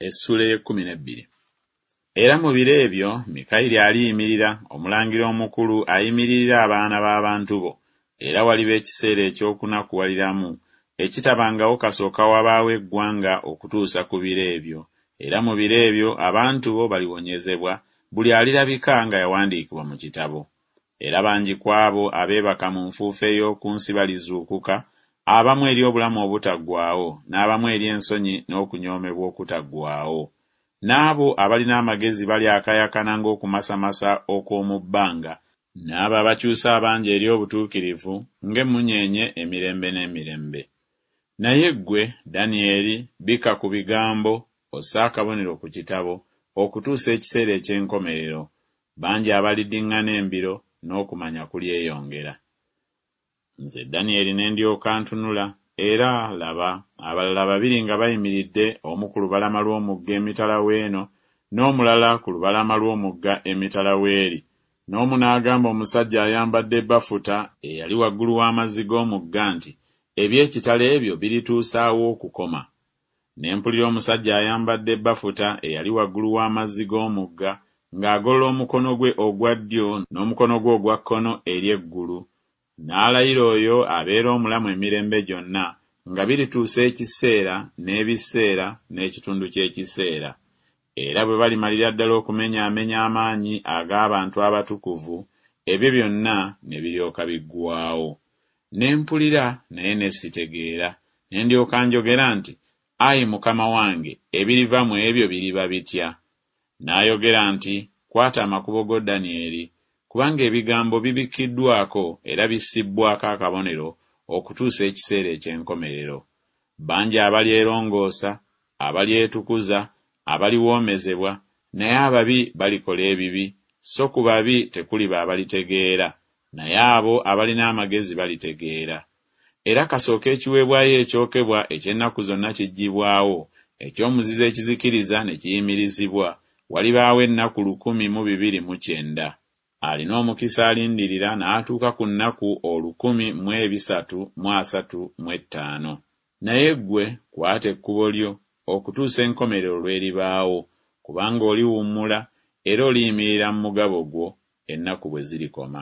Essuula ey'ekkumi n'ebbiri. Era mu biro ebyo Mikayiri aliyimirira, omulangira omukulu ayimiririra abaana b'abantu bo, era waliba ekiseera eky'okunakuwaliramu, ekitabangawo kasooka wabaawo eggwanga okutuusa ku biro ebyo, era mu biro ebyo abantu bo baliwonyezebwa, buli alirabika nga yawandiikibwa mu kitabo. Era bangi ku abo abeebaka mu nfuufu ey'oku nsi balizuukuka, abamu eri obulamu obutaggwaawo, n'abamu eri ensonyi n'okunyoomebwa okutaggwaawo. N'abo abalina amagezi balyakaayakana ng'okumasamasa okw'omu bbanga, n'abo abakyusa abangi eri obutuukirivu ng'emmunyeenye emirembe n'emirembe. Naye ggwe, Danyeri, bikka ku bigambo, osse akabonero ku kitabo, okutuusa ekiseera eky'enkomerero. Bangi abaliddiŋŋana embiro, n'okumanya kulyeyongera. Nze Danyeri ne ndyoka ntunula, era, laba, abalala babiri nga bayimiridde, omu ku lubalama lw'omugga emitala w'eno, n'omulala ku lubalama lw'omugga emitala w'eri, n'omu n'agamba omusajja ayambadde bafuta, eyali waggulu w'amazzi g'omugga nti Eby'ekitalo ebyo birituusa wa okukoma? Ne mpulira omusajja ayambadde bafuta eyali waggulu w'amazzi g'omugga ng'agolola omukono gwe ogwa ddyo n'omukono gwe ogwa kkono eri eggulu, n'alayira oyo abeera omulamu emirembe gyonna, nga birituusa ekiseera, n'ebiseera, n'ekitundu ky'ekiseera. Era bwe balimalira ddala okumenyaamenya amaanyi ag'abantu abatukuvu, ebyo byonna ne biryoka biggwaawo. Ne mpulira, naye ne sitegeera, ne ndyoka njogera nti Ayi Mukama wange, ebiriva mu ebyo biriba bitya? N'ayogera nti Kwata amakubo go, Danyeri, kubanga ebigambo bibikkiddwako era bissibbwako akabonero okutuusa ekiseera eky'enkomerero. Bangi abalyerongoosa, abalyetukuza, abaliwoomezebwa, naye ababi balikola ebibi, so ku babi tekuliba abalitegeera, naye abo abalina amagezi balitegeera. Era kasooka ekiweebwayo ekyokebwa eky'ennaku zonna kiggyibwawo, eky'omuzizo ekizikiriza ne kiyimirizibwa, walibaawo ennaku 1290. Alina omukisa alindirira n'atuuka ku nnaku olukumi mu ebisatu mu asatu mu ettaano. Naye ggwe, kwata ekkubo lyo, okutuusa enkomerero lw'eribaawo, kubanga oliwummula era oliyimirira mu mugabo gwo, ennaku bwe zirikoma.